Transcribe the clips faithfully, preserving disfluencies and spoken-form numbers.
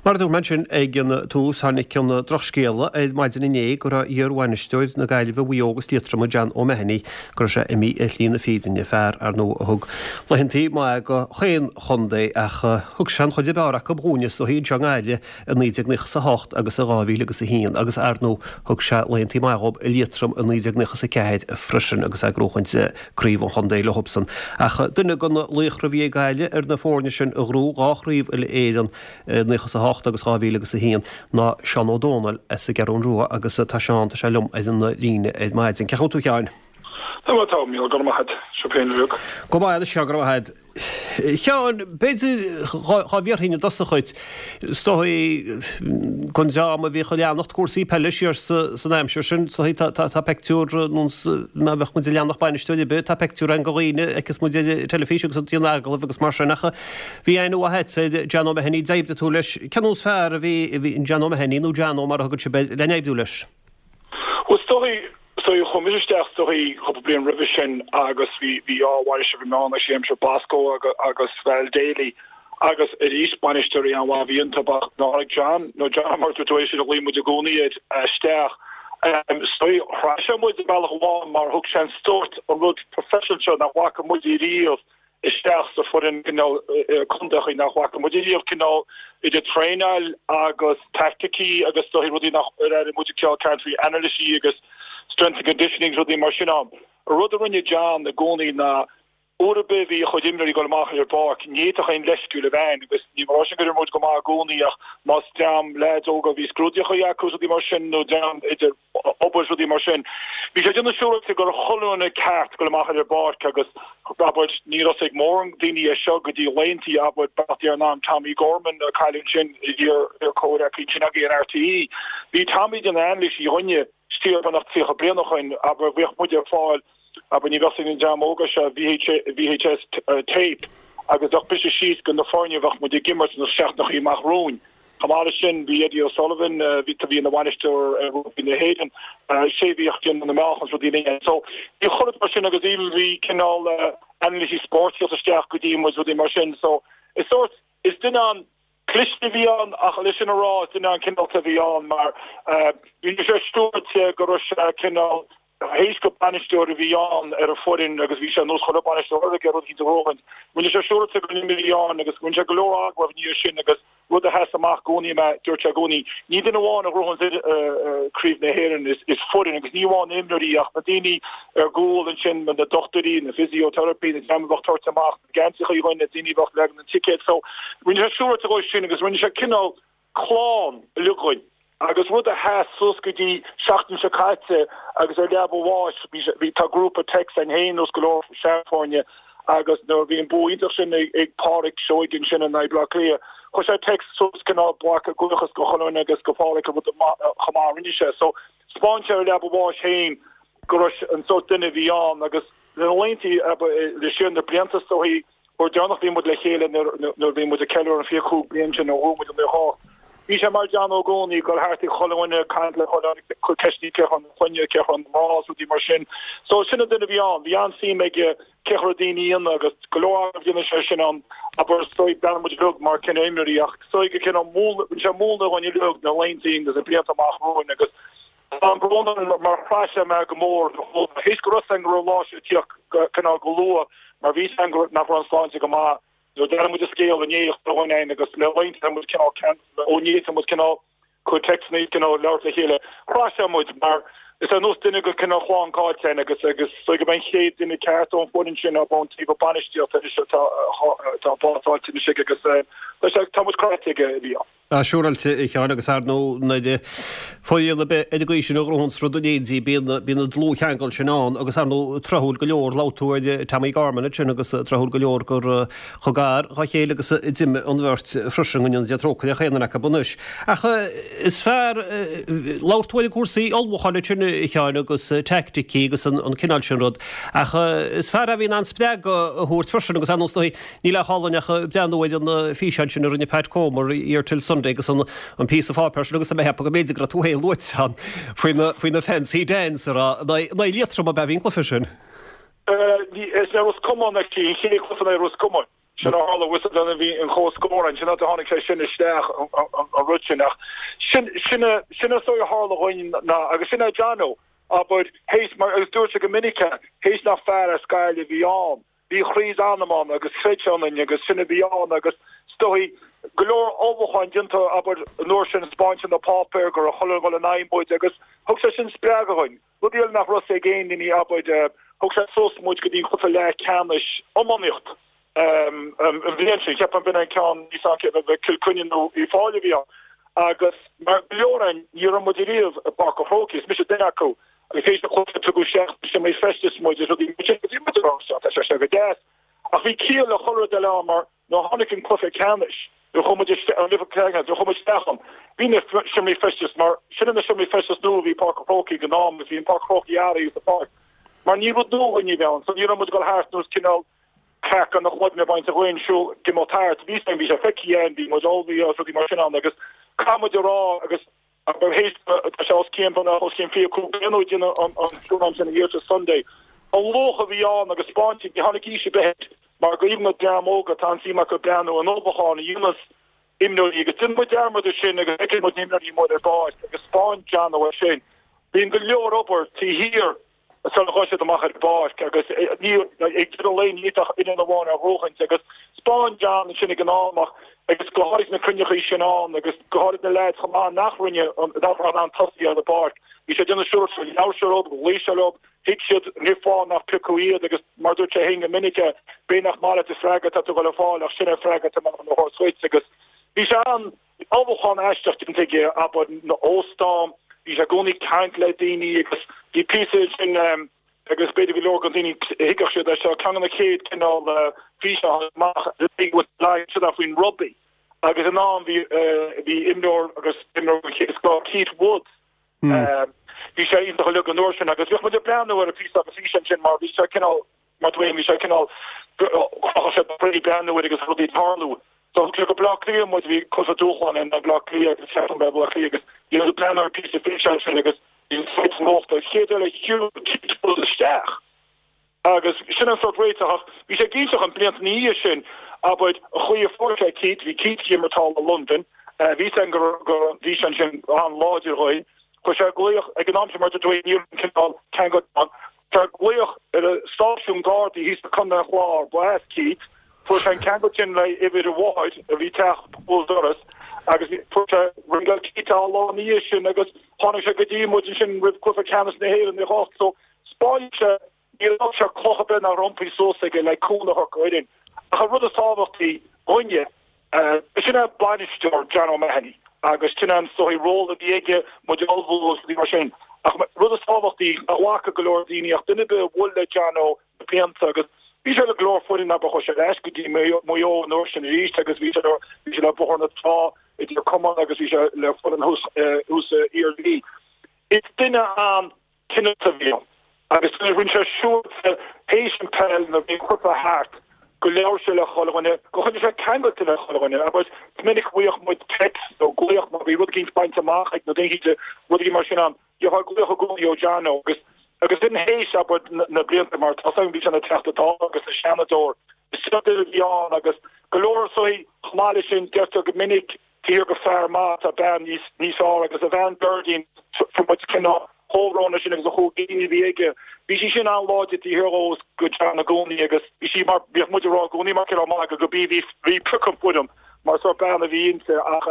Mar a dúirt mé ansin ag an tús, tháinig an drochscéala ar maidin inné go raibh iarbhainisteoir na Gaillimhe, Mhaigh Eo agus Liatroma, John O'Mahony, go raibh sé imithe ar shlí na fírinne, fear, ar ndóigh, a thug laethantaí maithe do chaon chontae ach thug sé an chuid ab fhearr acu dhúinne is dóichí anseo i nGaillimh i naoi déag nócha is a hocht agus i dhá mhíle agus a haon agus, ar ndóigh, thug sé laethantaí maithe dhób i Liatroim i naoi déag nócha is a ceathair freisin agus é ag gnóchaint craobh an chontae leosan. Ach duine de na laochra a bhí ag Gaillimh ar na foirne sin a ghnóthaigh dhá chraobh uile-Éireann i nócha is a hocht agus dhá mhíle agus a haon ná Seán Ó Dónaill as an gCeathrú Rua agus tá Seán, tá sé liom ar an líne ar maidin. Cén chaoi a bhfuil tú a Sheáin? Tá maith, tá, Mícheál, go raibh maith agat. Seo féin uilig. Go maith, a Sheáin, go raibh maith agat. Sheáin, b'fhéidir dhá bhfiafróinn i dtosach dhuit, is dóigh don dream a bhíodh ag leanacht cúrsaí peile siar san aimsir sin, is dóigh tá tá peictiúr má bheadh muid ag leanacht bainisteoir ar bith, tá peictiúr againn de dhaoine a fheiceas muid ar an teilifís agus ag déanamh agallamh agus mar sin ach bhí aithne mhaith agat ar John O'Mahony, d'oibrigh tú leis, cén nós fear a bhí bhí John O'Mahony nó Jono mar a thugann sibh air le n-oibriú leis? Well is dóigh is dóigh chuaigh mise isteach is dóigh cúpla bliain roimhe sin agus bhí bhí dhá bhainisteoir bhí ann actually aimsir Bosco agus agus Val Daly agus arís bainisteoirí an-mhaith a bhí iontu ach nuair a tháinig John nó John mar dúirt tú é sin a ghlaoigh muid i gcónaí air isteach is dóigh chraith sé muid ar bhealach amháin mar thug sé an sórt an rud professional seo nach bhfaca muid riamh isteach sa foireann cineál contae nach bhfaca muid riamh cineál idir traenáil agus taicticí agus dóigh rudaí nach ar airigh muid ceol caint faoi anailísí agus strength and conditioning rudaí mar sin ann. An rud a rinne John i gcónaí ná uair ar bith bhí a chuid imreoirí ag dul amach ar an bpáirc, ní fhéadfadh aon leithscéal a bheith ann agus ní mar sin go raibh muid go maith i gcónaí ach más dream leaids óga bhí scrúdaíocha acu rudaí mar sin nó dream idir obair rudaí mar sin. Bhí sé ag déanamh siúráilte go raibh chuile dhuine ceart dul amach ar an bpáirc agus abair ní raibh ag mórán daoine é seo go dtí laethantaí abair beacht ar an am Tommy Gorman a cailleadh ansin iar iar-chomhghleacaí ansin againn in RTÉ. Bhí Tommy ag déanamh anailísí dhúinne siar beagnach tríocha bliain ó shin abair bhíodh muid ar fáil abair ní bheadh ag an dream óga seo VHS tape agus bheadh briseadh síos go na foirne bheadh muid ag imirt na seachtainí amach romhainn. Chomh maith leis sin bhí Eddie O'Sullivan bhí bhí ina bhainisteoir ar rugbaí na hÉireann sé bhíodh déanamh na meáchan rudaí linne. So bhí chuile mar sin agus even bhí cineál anailísí spóirt isteach go dtí muid rudaí mar sin. So is sórt is duine an cliste a bhí ann ach leis sin a rá is duine an cineálta a bhí ann mar bhí sé siúráilte go raibh sé cineál théis go bainisteoir a bhí ann ar an foireann agus bhí sé nós chuile bainisteoir ag rud de róhain. Rinne sé siúráilte go bhí ann agus rinne sé go leor agallamh ní sin agus rud a sheas amach i gcónaí mé dúirt sé i gcónaí ní duine amháin a ghnóthaíonn craobh na hÉireann is is foireann agus ní amháin imreoirí ach na daoine ar gcúl ansin na dochtúirí na physiotherapy na dream a bheadh tabhairt amach na geansaithe na daoine a bheadh leagan an ticéad so rinne sé siúráilte go sin agus rinne sé cineál clann uilig agus rud a sheas suas go dtí seachtain seo caite agus ar leaba a bháis bhí tá grúpa text againn féin nós go leor seanfhoirne agus nuair bhí an bua iontach sin ag ag Pádraig Seoighe sin in aghaidh Bleá Cliath chuir sé text suas cineál buaca buíochas go chuile dhuine agus go Pádraig a rud chomh maith rinne sé so spáin sé ar leaba a bháis féin go raibh an sórt duine a bhí ann agus le laethantaí le siar na blianta so hí uair deireanach bhí muid le chéile nuair bhí muid ag ceiliúradh an fiche cúig bliain sin ó bhuaigh muid an naoi Bhí sé mar John i gcónaí go thart ag chuile dhuine caint le chuile ceistí cé chun chuine cé chun rás rudaí mar sin. So sin an duine a bhí ann, bhí an-suim aige cé chur daoine ina agus go leor déanamh sé sin an abair soi bean muid rug mar cin imreoirí ach soi go cin múl sé múnla dhuine rug na laethantaí agus na blianta amach romhainn agus Tá an brón mar chraith sé mé go mór théis go raibh go raibh lá sé tíocht cineál go luath mar bhí an nach raibh an sláinte go maith Nuair d'airigh muid an scéal inné chuile agus le laethanta muid cineál ó inné muid cineál chuir textanna cineál labhairt le chéile. Chraith sé muid mar is ar nós duine go cineál chlann caillte agus agus so go an chéad duine ceart ón bhfoireann sin a ón taobh bainistíochta anois atá atá básáilte anois aige agus tá sé tá muid cráite aige a bhí ann. Siúráilte a Sheáin agus ar ndóigh nuair foireann ar bith ar an gcaoi sin a ghnóthaíonn rud in éindí bíonn bíonn an dlúthcheangal sin ann agus ar ndóigh tráthúil go leor labhair tú ar Tommy Gorman ansin agus tráthúil go leor gur chomh gar dá chéile agus a d'imigh an bheirt freisin go ndéana Dia trócaire ar chaon duine acu anois. Ach is fearr labhair tú ar na cúrsaí ullmhúcháin ansin a Sheáin agus teaicticí agus an cineál sin rud ach is fear a bhí in ann spreagadh a thabhairt freisin agus ar ndóigh níl ach álainn ach breathnú ar an físeán sin a rinne Pat Comer Here Till Sunday agus an an píosa páipéir sin agus tá mé ag ceapadh go mb'fhéidir go raibh tú féin luaite ann faoina faoina fancy dance a rá in aghaidh Liatroma ab ea bhí an cluiche sin. Is é Ros Comáin actually an chéad chluiche in aghaidh Ros Comáin. Sin a tharla bhfuil bhí an comhscór an sin a tháinig sé sin isteach an rud sin ach sin sin sin is dóigh a tharla dhúinn ná agus sin é Johnno abair théis mar agus dúirt sé go minic théis nach fear as Gaillimh a bhí ann bhí chroí is anam ann agus chreid sé ionainn agus sin a bhí ann agus is dóigh go leor ullmhúcháin déanta abair an uair sin spáinte na páipéir go raibh chuile dhuine in aghaidh muid agus thug sé sin spreagadh dhúinn. Rud eile nach raibh ag aon duine abair thug sé suas muid go dtí an cluiche leathcheannais iománaíocht. Um, um, an bhliain sin ceapaim b'in an ceann níos ann Cill Chainnigh nó Uíbh Fhailí a bhí ann agus mar go leor againn ní raibh muid ariamh i bPáirc an Chrócaigh is mise duine acu agus théis an chluiche tugadh isteach sna seomraí feistis muid is rudaí mar sin agus bhí muid ag rá seo tá sé seo go deas ach bhí ciall le chuile rud eile ann mar nuair a tháinig an cluiche ceannais nuair a chuaigh muid isteach an cluiche ceannais nuair a chuaigh muid isteach ann bhí na seomraí feistis mar sin na seomraí feistis nua a bhí i Páirc an Chrócaigh ag an am agus bhí an Páirc an Chrócaigh athraithe sa pháirc mar ní rud nua dhúinn a bhí ann so ní raibh muid ag dul thart nós cineál craiceann na cloigne bainte againn siúl go mó thart bhí bhí sé feicthe againn bhí muid ullmhaithe agus rudaí mar sin ann agus caithfidh muid a rá agus abair théis tá sé os cionn b'fhéidir os cionn fiche cúig bliain ó deineadh an an siúlán sin an Year Sunday an luach a bhí ann agus spáinte ní tháinig aois ar bith air mar go even na dream óga tá an suim acu breathnú an ullmhúchán a dhéanas imreoirí agus déanann muid dearmad air sin agus feiceann muid na himreoirí amuigh ar an bpáirc agus spáin Johnno é sin bíonn go leor obair taobh thiar sula ghabhann siad amach ar an bpáirc agus ní ag deireadh lae ní fhéadfadh fhoireann amháin a bhuachaint agus spáin John ansin ag an am ach agus go háirid na cruinneachaí sin ann agus go háirid na leaids chomh maith nach rinne nach raibh in ann tosaí ar an bpáirc bhí sé ag déanamh siúr labhair sé leo ghlaoigh sé leo thuig siad cén fáth nach piocadh iad agus mar dúirt sé féin go minic b'fhéidir nach maith leat an freagra atá tú ag dul a fháil ach sin é an freagra atá mé a thabhairt dhuit agus bhí sé an ullmhúchán aisteach déanta aige abair na óstán bhí sé i gcónaí ag caint le daoine agus bhí píosa sin agus b'fhéidir go leor de dhaoine thuigfeadh siad é seo ceann de na chéad cineál físeán amach le faoin rugbaí agus in am bhí bhí imreoir agus imreoir den chéad scoth Keith Woods bhí sé iontach uilig an uair sin agus bhíodh muid ag breathnú ar an phíosa agus físeán sin mar bhí sé cineál mar dúinn bhí sé cineál chrochadh sé croí breathnú air agus rudaí ag tarlú. So thug sé go Bleá Cliath muid, bhí cluiche dúshláin in Bleá Cliath agus ceapaim Bleá Cliath agus bhí muid ag breathnú ar phíosa físeáin sin agus bhí an sórt nuachta an chéad eile shiúil Keith Woods isteach agus sin an sórt réiteach ach bhí sé iontach an blianta ina dhiaidh sin abair an chaoi a fuair sé Keith, bhí Keith ag imirt thall i Londain, bhí sé go go bhí sé ansin an-láidir dhóibh, chuir sé glaoch ag an am sin mar a dúirt ní raibh an cineál ceangal ann, chuir sé glaoch ar an stáisiún Gardaí thíos i Contae an Chláir, ba as Keith, fuair sé an ceangal sin le uimhir a mháthair a bhí ag teacht béal dorais agus fuair sé ringeáil Keith an lá ina dhiaidh sin agus tháinig sé go dtí muid ansin roimh cluiche ceannais na hÉireann i ocht so spáin sé níor fhág sé cloch ar bith nach raibh iompaithe suas aige le cúnamh a thabhairt don fhoireann. Ach an rud is tábhachtaí dhúinne, sin é bainisteoir John O'Mahony agus sin an sórt ról a bhí aige muid a ullmhú agus rudaí mar sin. Ach rud is tábhachtaí a bhfaca go leor daoine ach duine ar bith a bhuail le Johnno na blianta agus bhí sé le go leor foireann abair chuaigh sé ar ais go dtí Maigh Eo an uair sin arís agus bhí sé bhí sé le Bóthar na Trá idir Cumann agus bhí sé le foireann thuas thuas san Iarmhí. Is duine an cineálta a bhí ann agus rinne sé siúr théis an peil nuair a bhí an cluiche thart go labhair sé le chuile dhuine, go choinnigh sé ceangailte le chuile dhuine agus is minic a bhfaigheadh muid text nó glaoch má bhí rud eicínt bainte amach ag na daoine, rud eicínt mar sin ann, gheofá glaoch i gcónaí ó Johnno agus agus sin théis abair na blianta mar tá 's agam bhí sé ina Teachta Dála agus ina Seanadóir, is seo duine a bhí ann agus go leor so chomh maith leis sin deirtear go minic Tír go fear maith tá bean níos níos fearr agus a bhean Berdine fuair muid cineál comhbhrón sin agus a chúig daoine a bhí aige. Bhí sí sin an-láidir taobh thiar dhó go John i gcónaí agus bhí sí mar bhíodh muid ag rá i gcónaí mar cineál magadh go bí bhí bhí pioc an foirm mar sórt bean a bhí inti ach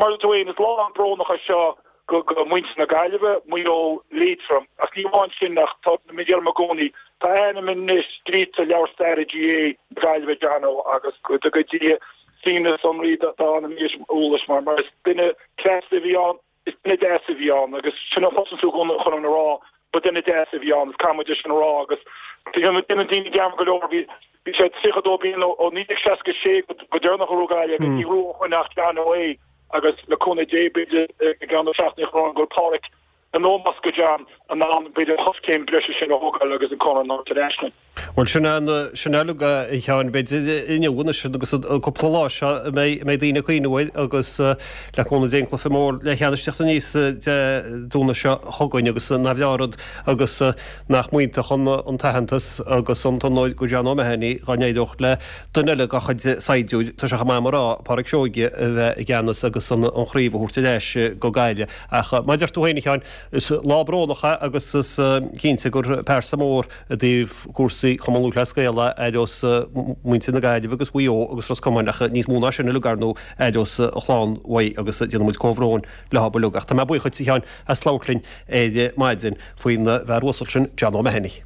mar a dúirt is lá an-bhrónach é seo go go muintir na Gaillimhe, Maigh Eo, Liatroim ach ní amháin sin ach tá mé deirim i gcónaí tá a ainm anois scríte i leabhar staire GAA na Gaillimhe Johnno agus go dtuga Dia suaimhneas síoraí dá anam eolais mar mar is duine cleasta a bhí ann, is duine deas a bhí ann agus sin a chloiseann tú chun chun a rá ba duine deas a bhí ann is caithfidh muid é sin a rá agus déanann daoine dearmad go leor bhí bhí sé tríocha dó bliain ó ó naoi déag seasca sé go go deireanach a rugadh é agus ní raibh ó shoin ach Johnno é agus le cúnamh Dé b'fhéidir i gceann na seachtaine go bhfuil Pádraic in ómós do John in ann b'fhéidir an choiscéim breise sin a thógáil agus an corn a thabhairt ar ais linn. Bhuel sin an sin uilig a Sheáin b'fhéidir inniu anois agus an cúpla lá seo a mbeidh mbeidh daoine ag cuimhneamh air agus le cúnamh Dé an cluiche mór leathcheannais ag teacht aníos Dé Domhnaigh seo chugainn agus nach bhreá an rud agus nach mb'iontach an an t-aitheantas agus an t-onóir go John O'Mahony dá n-éireodh le duine eile dá chuid saighdiúir, tá sé chomh maith am a rá, Pádraic Seoige a bheith i gceannas agus an an chraobh a thabhairt ar ais go Gaillimh. Ach mar a deir tú féin a Sheáin, is lá brónach é agus is cinnte gur pearsa mór i dtaobh cúrsaí Chumann Lúthchleas Gael é aithreos muintir na Gaillimhe agus Mhaigh Eo agus Ros Comáin ach níos mó ná sin uilig ar ndóigh aithreos a chlann uaidh agus déanann muid comhbhrón leo uilig. Ach tá mé buíoch dhuit a Sheáin as labhairt linn ar maidin faoin bhfear uasal sin John O'Mahony.